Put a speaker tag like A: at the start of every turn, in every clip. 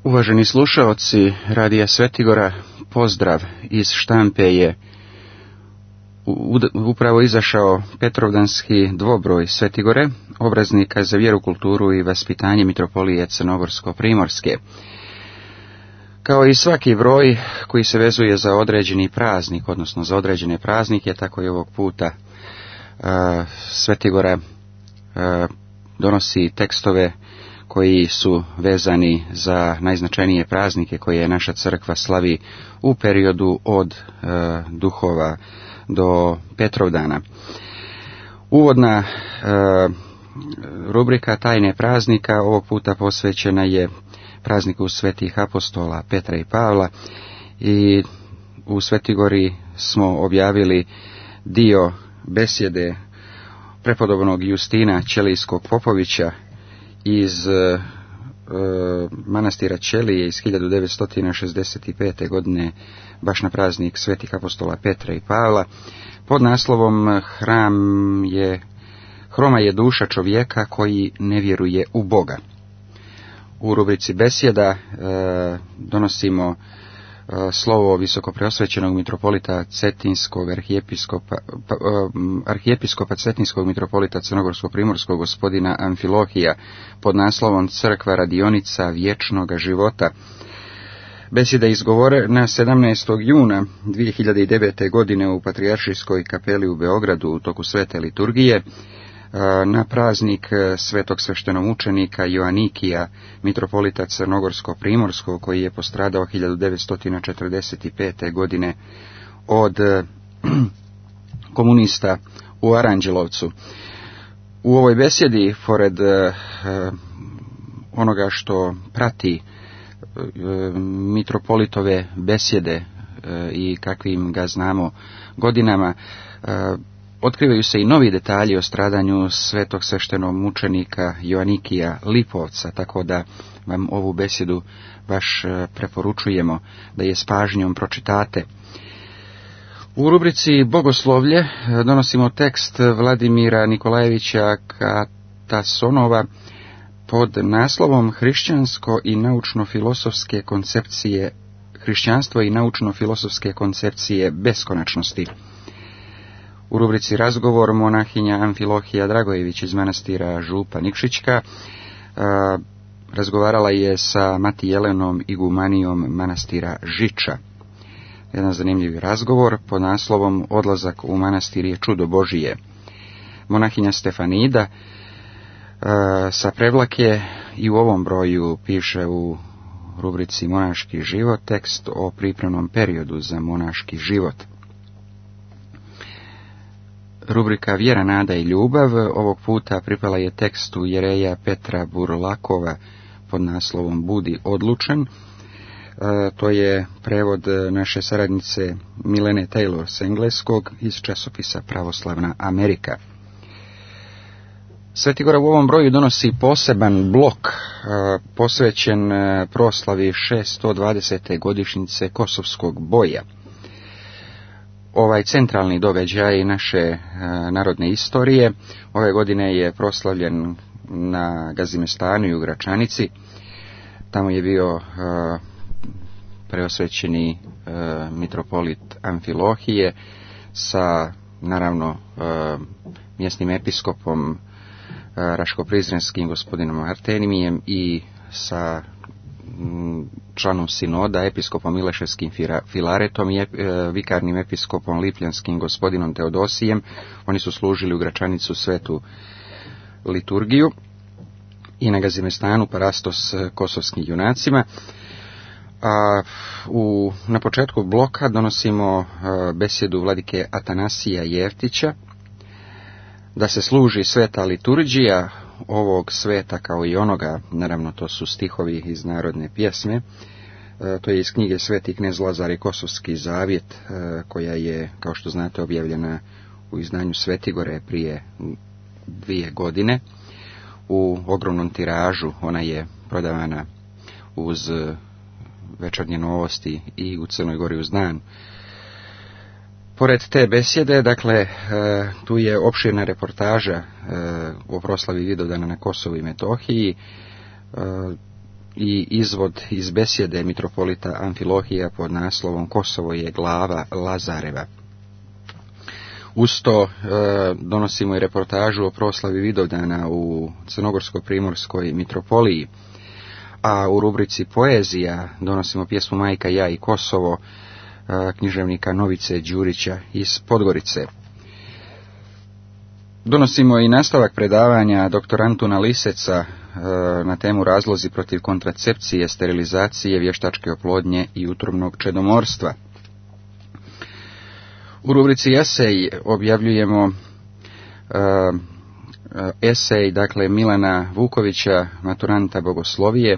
A: Uvaženi slušaoci Radija Svetigora, pozdrav. Iz štampe je upravo izašao Petrovdanski dvobroj Svetigore, obraznika za vjeru, kulturu i vaspitanje Mitropolije Crnogorsko-Primorske. Kao i svaki broj koji se vezuje za određeni praznik, odnosno za određene praznike, tako i ovog puta Svetigora donosi tekstove koji su vezani za najznačajnije praznike koje naša crkva slavi u periodu od Duhova do Petrovdana. Uvodna rubrika Tajne praznika ovog puta posvećena je prazniku svetih apostola Petra i Pavla i u Svetigori smo objavili dio besjede prepodobnog Justina Ćelijskog Popovića iz manastira Ćelije iz 1965. godine, baš na praznik svetih apostola Petra i Pavla, pod naslovom Hroma je duša čovjeka koji ne vjeruje u Boga. U rubrici besjeda donosimo slovo visokopreosvećenog mitropolita Cetinskog arhijepiskopa Cetinskog mitropolita Crnogorsko-Primorskog gospodina Amfilohija pod naslovom Crkva radionica vječnoga života. Besjeda izgovorena 17. juna 2009. godine u Patrijaršijskoj kapeli u Beogradu u toku svete liturgije na praznik svetog sveštenomučenika Joanikija, mitropolita Crnogorsko-Primorskog, koji je postradao 1945. godine od komunista u Aranđelovcu. U ovoj besjedi, pored onoga što prati mitropolitove besjede i kakvim ga znamo godinama, otkrivaju se i novi detalji o stradanju svetog sveštenomučenika Joanikija Lipovca, tako da vam ovu besjedu baš preporučujemo da je s pažnjom pročitate. U rubrici Bogoslovlje donosimo tekst Vladimira Nikolajevića Katasonova pod naslovom Hrišćanstvo i naučno-filosofske koncepcije beskonačnosti. U rubrici Razgovor monahinja Amfilohija Dragojević iz manastira Župa Nikšićka razgovarala je sa Mati Jelenom igumanijom manastira Žiča. Jedan zanimljiv razgovor pod naslovom Odlazak u manastir je čudo Božije. Monahinja Stefanida sa Prevlake i u ovom broju piše u rubrici Monaški život tekst o pripremnom periodu za monaški život. Rubrika Vjera, nada i ljubav ovog puta pripala je tekstu jereja Petra Burlakova pod naslovom Budi odlučan. To je prevod naše saradnice Milene Taylor s engleskog iz časopisa Pravoslavna Amerika. Svetigora u ovom broju donosi poseban blok posvećen proslavi 620. godišnjice Kosovskog boja. Ovaj centralni događaj naše narodne istorije ove godine je proslavljen na Gazimestanu i u Gračanici. Tamo je bio preosvećeni mitropolit Amfilohije sa, naravno, mjesnim episkopom Raško-Prizrenskim gospodinom Artenimijem i sa članom sinoda, episkopom Mileševskim Filaretom i vikarnim episkopom Lipljanskim gospodinom Teodosijem. Oni su služili u Gračanicu svetu liturgiju i na Gazimestanu parastos kosovskim junacima. Na početku bloka donosimo besjedu vladike Atanasija Jeftića da se služi sveta liturgija ovog sveta kao i onoga, naravno to su stihovi iz narodne pjesme, to je iz knjige Sveti knez Lazar i Kosovski zavjet, koja je, kao što znate, objavljena u izdanju Svetigore prije 2 godine. U ogromnom tiražu ona je prodavana uz Večernje novosti i u Crnoj Gori uz dan. Pored te besjede, dakle, tu je opširna reportaža o proslavi Vidovdana na Kosovu i Metohiji. i izvod iz besjede mitropolita Amfilohija pod naslovom Kosovo je glava Lazareva. Uz to donosimo i reportažu o proslavi Vidovdana u Crnogorsko-primorskoj mitropoliji, a u rubrici Poezija donosimo pjesmu Majka, ja i Kosovo književnika Novice Đurića iz Podgorice. Donosimo i nastavak predavanja dr. Antuna Liseca na temu razlozi protiv kontracepcije, sterilizacije, vještačke oplodnje i utrobnog čedomorstva. U rubrici Esej objavljujemo esej, dakle, Milana Vukovića, maturanta bogoslovije,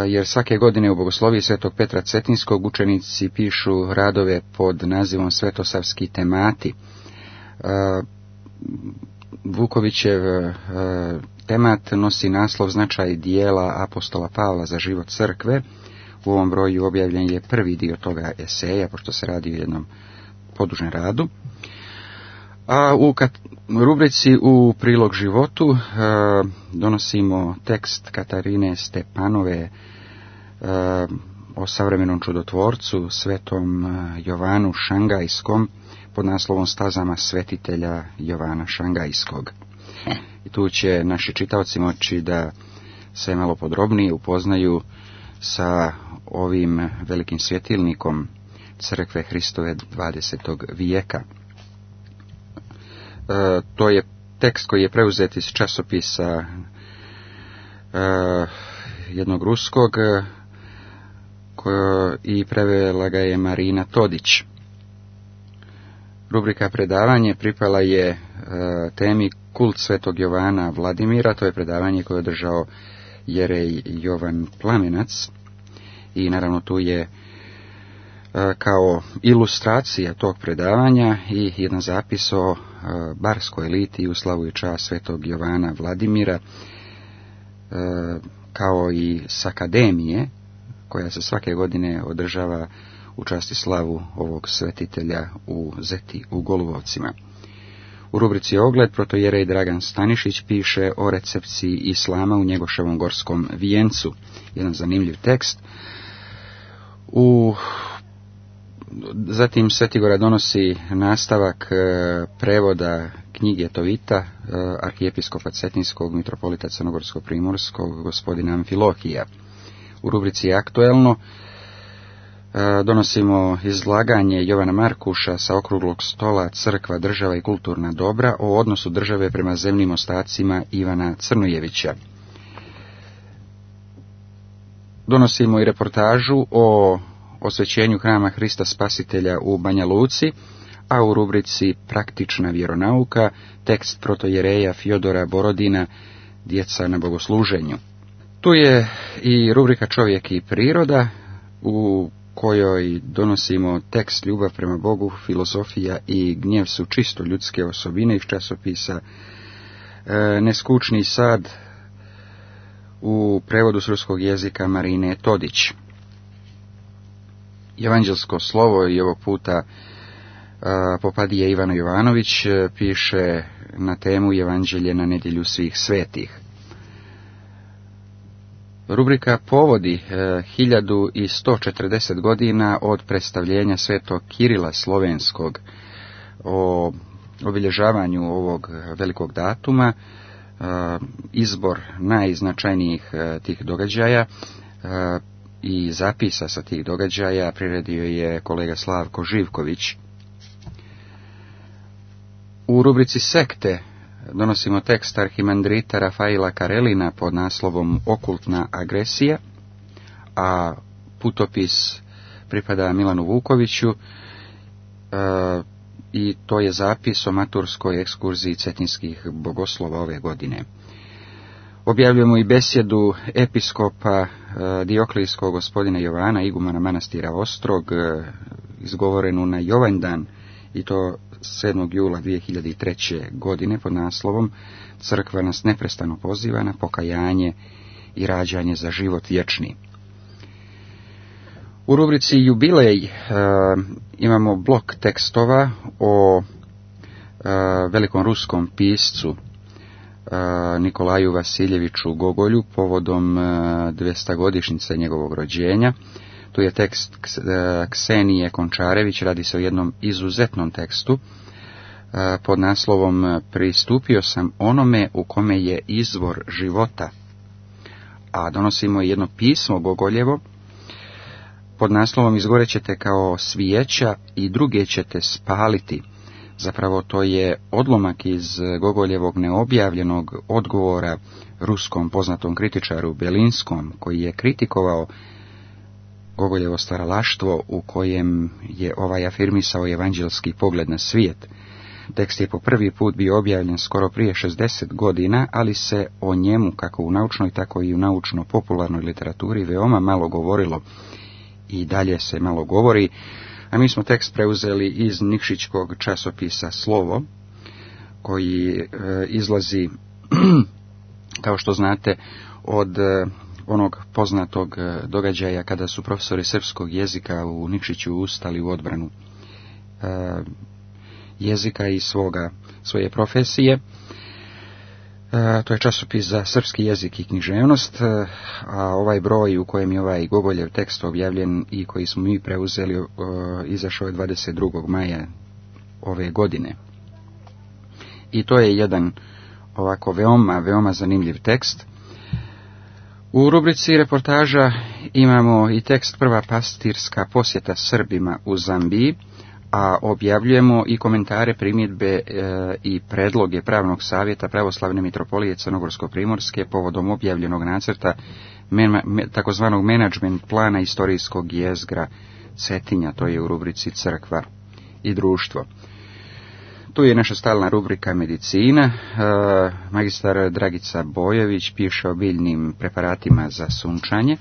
A: jer svake godine u bogosloviji Svetog Petra Cetinskog učenici pišu radove pod nazivom Svetosavski temati. Vukovićev temat nosi naslov Značaj dijela apostola Pavla za život crkve. U ovom broju objavljen je prvi dio toga eseja, pošto se radi o jednom podužem radu. A u rubrici U prilog životu donosimo tekst Katarine Stepanove o savremenom čudotvorcu, svetom Jovanu Šangajskom, pod naslovom Stazama svetitelja Jovana Šangajskog. I tu će naši čitaoci moći da se malo podrobnije upoznaju sa ovim velikim svjetilnikom Crkve Hristove 20. vijeka. To je tekst koji je preuzet iz časopisa jednog ruskog i prevela ga je Marina Todić. Rubrika predavanje pripala je temi Kult svetog Jovana Vladimira. To je predavanje koje je održao jerej Jovan Plamenac i naravno tu je kao ilustracija tog predavanja i jedan zapis o barskoj litiji u slavu i čast svetog Jovana Vladimira, kao i s akademije koja se svake godine održava u čast i slavu ovog svetitelja u Zeti u Golubovcima. U rubrici Ogled protojerej Dragan Stanišić piše o recepciji islama u Njegoševom gorskom vijencu. Jedan zanimljiv tekst. Zatim Svetigora donosi nastavak prevoda knjige Tovita arhijepiskopa Cetinskog mitropolita Crnogorsko-primorskog gospodina Amfilohija. U rubrici Aktuelno donosimo izlaganje Jovana Markuša sa okruglog stola Crkva, država i kulturna dobra o odnosu države prema zemnim ostacima Ivana Crnojevića. Donosimo i reportažu o osvećenju hrama Hrista Spasitelja u Banja Luci, a u rubrici Praktična vjeronauka tekst protojereja Fjodora Borodina Djeca na bogosluženju. Tu je i rubrika Čovjek i priroda, u kojoj donosimo tekst Ljubav prema Bogu, filozofija i gnjev su čisto ljudske osobine iz časopisa Neskučni sad u prevodu s ruskog jezika Marine Todić. Evanđelsko slovo i ovog puta Popadije Ivana Jovanović piše na temu Evanđelje na nedjelju svih svetih. Rubrika Povodi 1140 godina od predstavljenja svetog Kirila Slovenskog o obilježavanju ovog velikog datuma, izbor najznačajnijih tih događaja i zapisa sa tih događaja priredio je kolega Slavko Živković. U rubrici Sekte donosimo tekst arhimandrita Rafaila Karelina pod naslovom Okultna agresija, a putopis pripada Milanu Vukoviću i to je zapis o maturskoj ekskurziji cetinskih bogoslova ove godine. Objavljujemo i besjedu episkopa Dioklijskog gospodina Jovana, igumana manastira Ostrog, izgovorenu na Jovandan, i to 7. jula 2003. godine pod naslovom Crkva nas neprestano poziva na pokajanje i rađanje za život vječni. U rubrici Jubilej imamo blok tekstova o velikom ruskom piscu Nikolaju Vasiljeviću Gogolju povodom 200-godišnjice njegovog rođenja. Tu je tekst Ksenije Končarević, radi se o jednom izuzetnom tekstu pod naslovom Pristupio sam onome u kome je izvor života, a donosimo jedno pismo Gogoljevo pod naslovom Izgorećete kao svijeća i druge ćete spaliti. Zapravo to je odlomak iz Gogoljevog neobjavljenog odgovora ruskom poznatom kritičaru Belinskom, koji je kritikovao Gogoljevo stvaralaštvo u kojem je ovaj afirmisao evanđelski pogled na svijet. Tekst je po prvi put bio objavljen skoro prije 60 godina, ali se o njemu, kako u naučnoj, tako i u naučno-popularnoj literaturi, veoma malo govorilo i dalje se malo govori, a mi smo tekst preuzeli iz nikšićkog časopisa Slovo, koji izlazi, kao što znate, od onog poznatog događaja kada su profesori srpskog jezika u Nikšiću ustali u odbranu jezika i svoje profesije. To je časopis za srpski jezik i književnost, a ovaj broj u kojem je ovaj Gogoljev tekst objavljen i koji smo mi preuzeli izašao je 22. maja ove godine. I to je jedan ovako veoma zanimljiv tekst. U rubrici reportaža imamo i tekst Prva pastirska posjeta Srbima u Zambiji, a objavljujemo i komentare, primjedbe i predloge Pravnog savjeta Pravoslavne mitropolije Crnogorsko-primorske povodom objavljenog nacrta takozvanog menadžment plana istorijskog jezgra Cetinja, to je u rubrici Crkva i društvo. Tu je naša stalna rubrika medicina. Magistar Dragica Bojević piše o biljnim preparatima za sunčanje.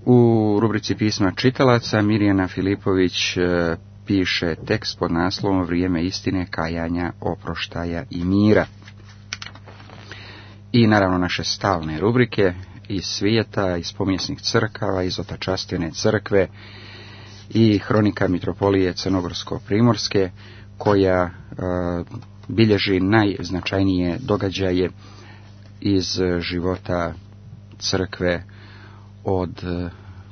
A: U rubrici pisma čitalaca Mirjana Filipović piše tekst pod naslovom Vrijeme istine, kajanja, oproštaja i mira. I naravno naše stalne rubrike iz svijeta, iz pomijesnih crkava, iz otačastvene crkve i hronika mitropolije Crnogorsko-primorske, koja bilježi najznačajnije događaje iz života crkve od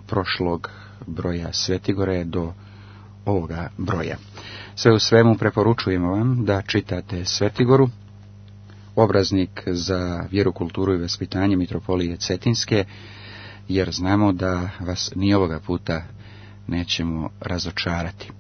A: prošlog broja Svetigore do ovoga broja. Sve u svemu preporučujemo vam da čitate Svetigoru, obraznik za vjeru, kulturu i vaspitanje mitropolije Cetinske, jer znamo da vas ni ovoga puta nećemo razočarati.